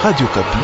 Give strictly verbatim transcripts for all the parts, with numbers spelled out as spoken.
Radio Okapi.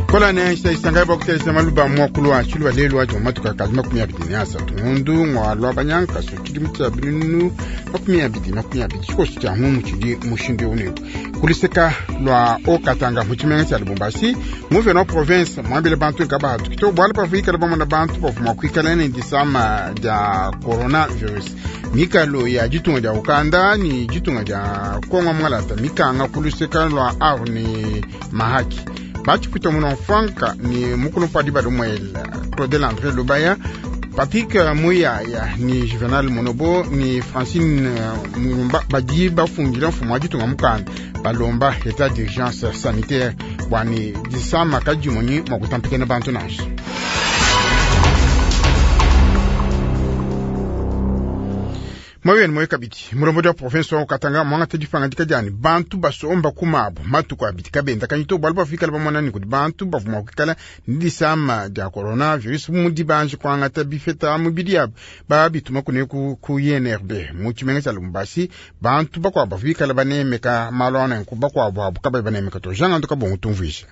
Kola ne isa isanga ba kutelesa maluba mwakulu wa chiluba lelu wa joma tukakazi makumi abidi ne asatu ngundu ngwalwa banyanka so chidi mutsa binunu makumi abidi makumi abidi chikosi cha mumu chidi mushindu unewu kuliseka lwa okatanga muchimenga cha Lubumbashi muve no province mwambile bantu kabatu kito bwala pafikala bamona bantu bafuma kwikala ne disama ja coronavirus mikalo ya ditunga dia Uganda ni ditunga dia Kongo mwalata mikanga kuluseka lwa aru ni mahaki bachipwita muno franka ni mukulu mpadi balumwela Claudel André Lubaya Patrick Muyaya ni Juvenal Monobo ni Francine Mulumba badi bafungila mfumu wa ditunga mukanda balomba état d'urgence sanitaire bwani disama kadimonyi mwa kutampikana bantu nansha moyeni moyo kabidi mulombodi wa province wa Katanga mwangata dipanga diani bantu basomba kumabo matuku abidi kabenda kanyito bwalo bafikala bamonani kudi bantu bavuma kwikala ni disama dia coronavirus mudi banji kwangata bifeta mubidi yabo babituma kune ku, ku I N R B mu tshimenga tshia Lubumbashi bantu bakwabo bafikala banemeka malu anenku bakwabo abo kabayi banemeka to janga nduka bongo tumvuisha.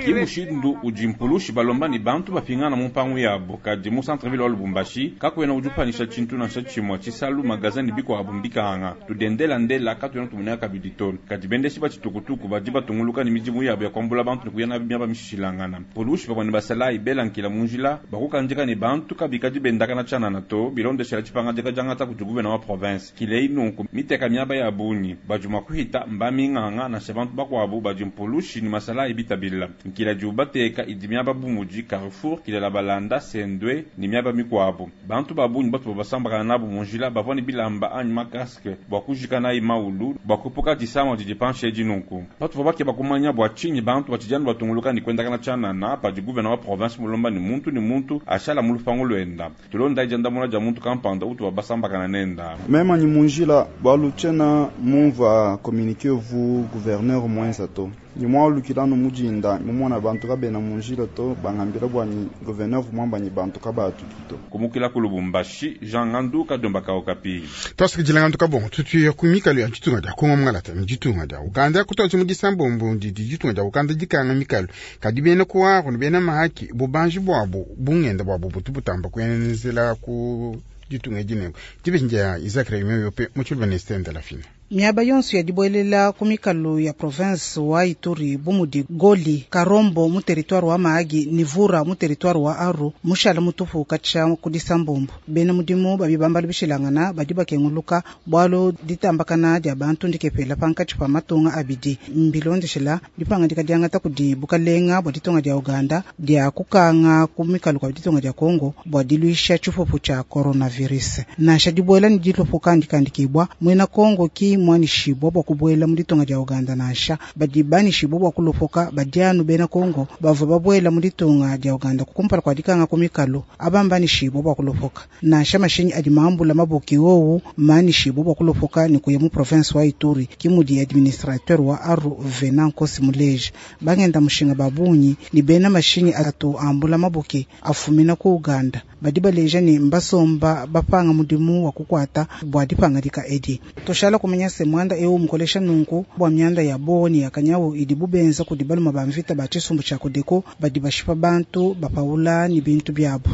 Ki mushindu udi mpulushi balomba ni bantu bapingana mu mpangu yabo kadi mu centre-ville wa Lubumbashi kakwena udi upanisha tshintu nansha tshimua tshisalu magasin ni bikuabu mbikanga tudendela ndela katuena tumuneka kabidi to kadi bendeshi ba tshitukutuku badi batunguluka ni midimu yabo ya kuambula bantu ne kuya nabi miaba mishilangana polushi pamue ne basalayi belankila mu njila bakukandika ne bantu kabikadi bendakana tshianana to bilondeshela tshipangadika diangata kudi guvena wa province kilei nunku miteka miaba ya bungi badi mua kuhita mbaminganga nansha bantu bakuabu badi mpulushi ni masalayi bitabila nkila di ubateka idi miaba bumudi Carrefour kilela balanda sendwe ni miaba mikuabu bantu babungi batu babasambakana nabu munjila bavua ni bilamba anyi makaske bua kujika nayi maulu bua kupuka disama didi panshi edi nunku batu babake bakumanya bua tshinyi bantu batshidianu batunguluka ni kuendakana tshianana padi guvena wa province mulomba ni muntu ni muntu ashala mu lupangu luenda tulonda diandamuna dia muntu kampanda utu babasambakana nenda. Mema ni munjila bwalu tshiena mumva communiqué vu gouverneur mwenza to ni mwalukilano mujinda mumona bantu kabena munjila to bangambila bwani gouverneur mwambanyi bantu kabatuki to. Kumukila ku Lubumbashi, Jean Ngandu Kadomba Okapi. Twasikijila ngandu kabongo tutuya ku mikalo ya ditunga dia Kongo mwalata ni ditunga dia Uganda kutwaji mu disambombo ndidi ditunga dia Uganda dikanga mikalo kadi bena kuwaro ni bena mahaki bubanji bwabo bungenda bwabo butu butamba kuenzela ku ditunga dinengo dibenja Isaac Remy yope mu tshiluba ne la fina. Miaba yonso ya dibuelela ku mikalo ya province wa Ituri bumudi Goli Karombo mu territoire wa Mahagi ni Vura mu territoire wa Aru mushala mutupu katsha ku disambombo bena mudimu babi bambala bishilangana badi bakenguluka bwalo ditambakana dia bantu ndikepela pankatshi pa matunga abidi mbilondeshela dipangadika diangata kudi bukalenga bua ditunga dia Uganda dia kukanga ku mikalo kwa ditunga dia Kongo bua diluisha tshipupu tshia coronavirus nansha dibuela ni dilopoka ndikandikibwa mwena Kongo ki mwanishibwa bua kubuela mu ditunga dia Uganda nansha badi banishibwa bua kulopoka badianu bena Kongo bavua babuela mu ditunga dia Uganda kukumpala kua dikanga ku mikalo abambanishibwa bua kulopoka nansha mashinyi adi mambula maboki wowu manishibwa bua kulopoka ni kuya mu province wa Ituri kimudi administrateur wa Aru Venant Nkosi Muleja bangenda mushinga babunyi ni bena mashinyi atu ambula maboki afumina ku Uganda badi baleja ni mbasomba bapanga mudimu wa kukwata bua dipangadika edi toshala kumenya se mwanda eu mukolesha nunku bua myanda ya boni ya kanyawu idi bubenza kudi baluma ba mvita ba tshisumbu tshia Kodeko badi bashipa bantu bapaula ni bintu byabo.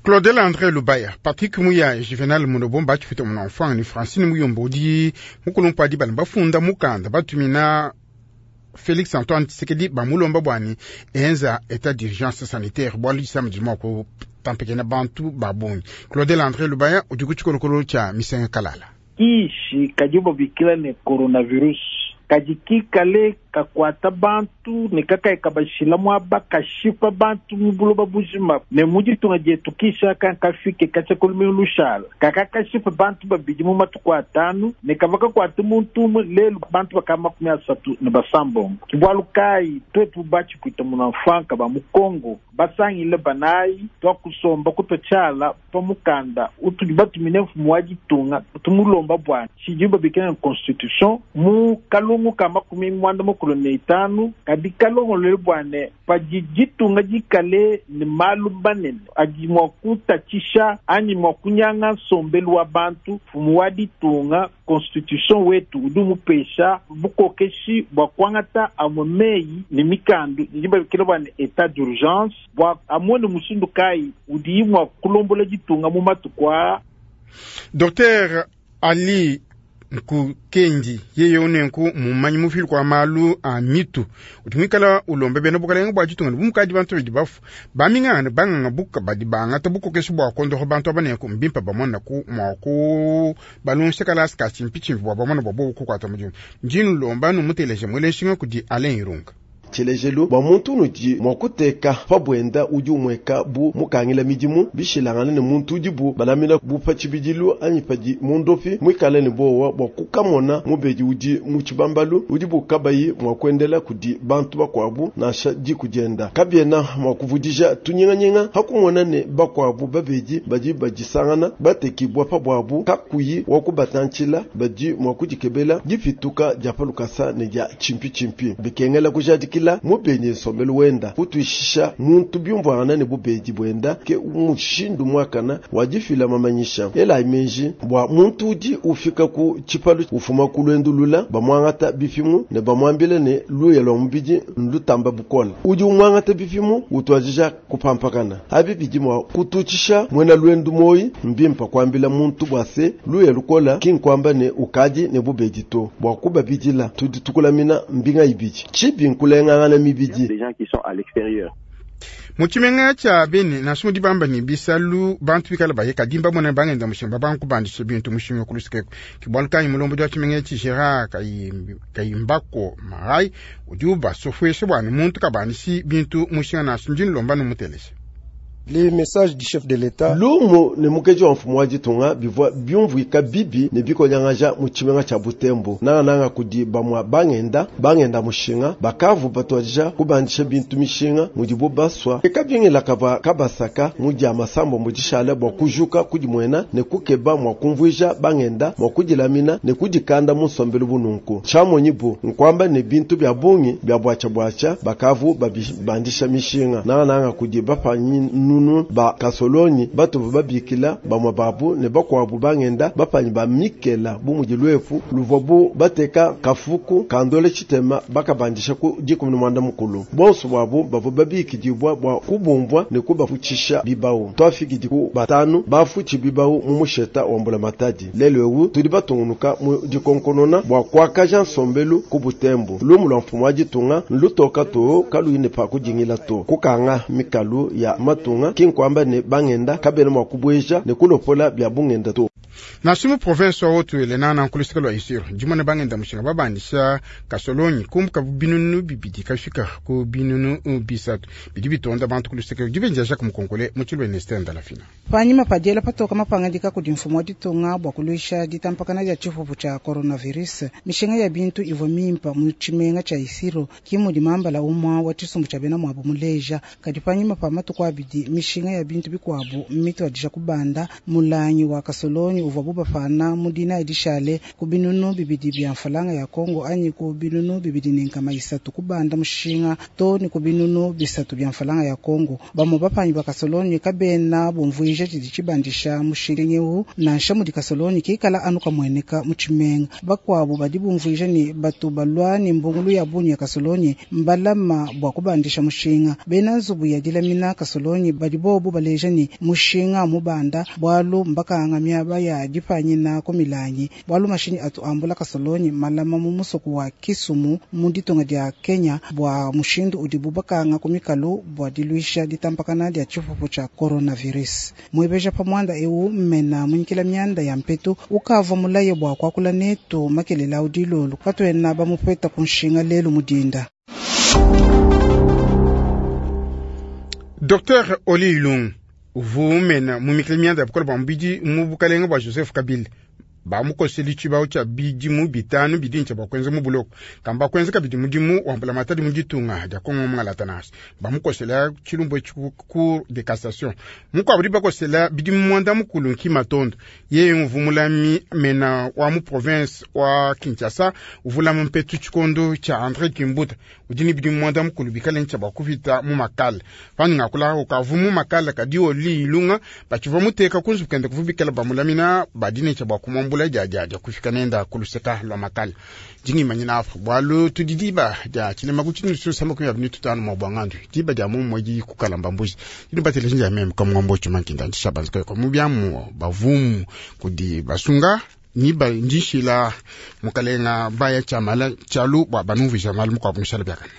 Claudel André Lubaya Patrick Muya Juvenal Munobo bachifita mu enfant ni Francine Muyombo udi mukulu mpadi bali bafunda mukanda batumina Félix Antoine Tshisekedi bamulomba bwani enza état d'urgence sanitaire bwalu disama dima ku tampekena bantu babungi Claudel André Lubaya udi ku tshikolokolo tshia Misenga Kalala. Kishi kadi babikila ne coronavirus kadi kikale kakwata bantu ne kakayi kabashila muaba kashipa bantu mu buloba bujima ne mu ditunga dietu kisha kankafike katshia kulume lushala kaka kashipa bantu babidi mu matuku atanu ne kava kakwata muntu umue lelu bantu baka makumi asatu ne basambombo bualu kayi twetu batshikuita muna mfanka ba mu Kongo basangile banayi twakusomba kutwa tshiala pa mukanda utudi batumine mfumu wa ditunga tumulomba bwana tshidi babikila ne constitution mu kalungu ka makumi mwanda mukulu. mukulu ne itanu kadi kalongolole bua ne padi ditunga dikale ne malu manene adi mua kutatshisha anyi mua kunyanga nsombelu wa bantu, mfumu wa ditunga constitution wetu udi umupesha bukokeshi bua kuangata amue meyi ne mikandu idi babikila bua ne état d'urgence bua amone mushindu kayi udiyi mua kulombola ditunga mu matuku aa. Docteur Ali Nkukendi yeye unenku mumanyi mufili kwa malu a mitu udi muikala ulomba bena bukalenge bua ditunga ne bumukadi bantu badi bafu baminganga banganga buka badi bangata bukokeshi bua kondoho bantu aba nenku mbimpe bamona ku mua ku balongesha kalasi ka tshimpitshimpi bua bamona bua bobu kukuata mudimu. Ndi nulomba numuteleje muele nshinga kudi Alain Irunga. Tshilejelu bua muntu unudi mua kuteka pa buenda udi umweka bu mukangila midimu bishilangane ne muntu udibu balamina bu pa tshibidilu anyi padi mundopi muikale ne bowa bua kukamona mubedi udi mu tshibambalu udibu kabayi mua kuendela kudi bantu bakuabu nansha diku dienda kabiena mua kuvudija tunyinganyinga hakumona ne bakuabu babedi badi badisangana batekibwa pa buabu kakuyi wa kubatantshila badi mua kudikebela dipituka dia palukasa ne dia tshimpi bikengela kujadikila mubedi nsombelu wenda kutuishisha muntu byumvuangana ne bubedi bwenda ke mushindu mwakana wadifila mamanyisha ela imenji bwa muntu udi ufika ku tshipalu ufuma ku lwendulula bamwangata bipimu ne bamwambile ne luya lwa mubidi nlutamba bukola udi umwangata bipimu utwajija kupampakana abi bidi mwa kututshisha mwena lwendu moyi mbimpa kwambila muntu bwa se luya lukola kinkwamba ne ukadi ne bubedi to bwa kubabidila tudi tukulamina mbinga ibidi chibi nkulenga des gens qui sont à l'extérieur. Muchimenga cha Beni nansha mudi bamba ni bisalu bantu bikala baye kadimba mona bangenda mushinga banku bandisha bintu mushinga kulusikeko kibwalukanyi mulombo wa chimenga chi Gerard Kayimbako Marai udi ubasofwesha bwana muntu kabandisi bintu mushinga nansha ndi nlomba numutelesha. Les messages du chef de l'État. Lumu ne mukeji wa mfumu wa ditunga bivua byumvuika bibi ne bikonyangaja mu tshimenga tshia Butembo nangananga kudi bamwa bangenda bangenda mushinga bakavu batwadija kubandisha bintu mishinga mudibu baswa ekabingila kava kabasaka mu masambo mudishala bua kujuka kudimwena ne kukeba mua kumvuija bangenda mua kudilamina ne kudikanda mu nsombelu bununku tshiamonyi bu nkwamba ne bintu bya bungi bya bwacha bwacha bakavu babandisha mishinga nangananga kudi bapanyi nunu ba kasoloni batuvu babikila bamwa babu ne bakwabu bangenda bapanyi ba mikela bu mudi lwefu luvua bu bateka kafuku kandole tshitema bakabandisha ku dikumi ne mwanda mukulu bonso bwabu bavua babikidibwa bua kubumvwa ne kubafutshisha bibawu twafikidi ku batanu bafutshi bibawu mu musheta wa mbula matadi lelo ewu tudi batungunuka mu dikonkonona bua kuakaja nsombelu ku Butembo lumu lwa mfumu wa ditunga nlutoka to kaluyi pa kudingila to kukanga mikalu ya matunga kinkwamba ne bangenda kabena mwa kubweja ne kulopola bya bungenda to. Nansha mu province wa Haut-Uele nana nkulusika lwa Isiro dimona bangenda mushinga babandisha kasolonyi kumbuka binunu bibidi kafika ku binunu bisatu bidi bitonda bantu kulusika dibenja Jacques Mukonkole mu tshilwe ne Stenda Lafina. Panyima padiela patoka mapangadika kudi mfumu wa ditunga bua kuluisha ditampakana dia tshipupu tshia coronavirus mishinga ya bintu ivua mimpa mu tshimenga tshia Isiro kimudi mambala umwa wa tshisumbu tshia bena muabu muleja kadi panyima pa matuku abidi mishinga ya bintu bikuabu mitwadija kubanda mulangi wa kasolonyi uvua bubafana mudina edishale ku binunu bibidi bya mfalanga ya Kongo anyi ku binunu bibidi ne nkama isatu kubanda mushinga to ni ku binunu bisatu bya mfalanga ya Kongo bamwe bapanyi ba kasolonyi kabena bumvuija tshidi tshibandisha mushinga eu nansha mudi kasolonyi kikala anu kamweneka mu tshimenga bakuabu badi bumvuija ni batu balwa ni mbungulu ya bunyi ya kasolonyi mbalama bua kubandisha mushinga bena nzubu ya dilamina kasolonyi badi bobu baleja ni mushinga mubanda bwalu mbakanga miaba ya dipanyina ku milangi bwalu mashinyi atu ambula kasolonyi malama mu musoku wa Kisumu mu ditunga dia Kenya bua mushindu udibu bakanga ku mikalu bua diluisha ditampakana dia tshipupu tshia coronavirus mwebeja pamwanda eu mmena munyikila mianda ya mpetu ukava mulaye bua kuakula netu makelela udilolo katwena bamupeta kunshinga lelu mudinda. Docteur Oli Ilung uvumena mu mikila mianda ya bukola bua mubidi mu bukalenga bua Joseph Kabila Bamukoseli tshibao tshia bidimu bitanu bidintsha bua kuenza mu buloko kamba kuenza kabidi mudimu wa mbulamatadi mu ditunga dia Kongo mungalata nansha. Bamukosela tshilumbu etshi ku cour de cassation. Mukuabu bakosela bidimu muanda mukulu Nkima Tondo, yeye uvumulami mena wa mu province wa Kinshasa, uvulama mpetu tshikondo tshia André Kimbuta, udi ne bidimu muanda mukulu bikale ntsha bua kupita mu makala. Panu ngakula ukavu mu makala kadi oli ilunga batshivua muteka kunzu kende kuvubikala bamulamina badine tsha bua kumwambula dia dia dia kufika nenda kuluseka lwa makala. Dingimanyina apo bwalu tudi diba dia tshilema ku tshinu sama ku ya binitu tano mwa bwangandu diba dia mu mweji kukalamba mbuji dinu batele nja meme kwa mwambo chuma nkinda ndisha banzika kwa mubyamu bavumu kudi basunga ni ba ndishila mukalenga baya chamala chalu bwa banumvisha malu mukwa mushala byakana.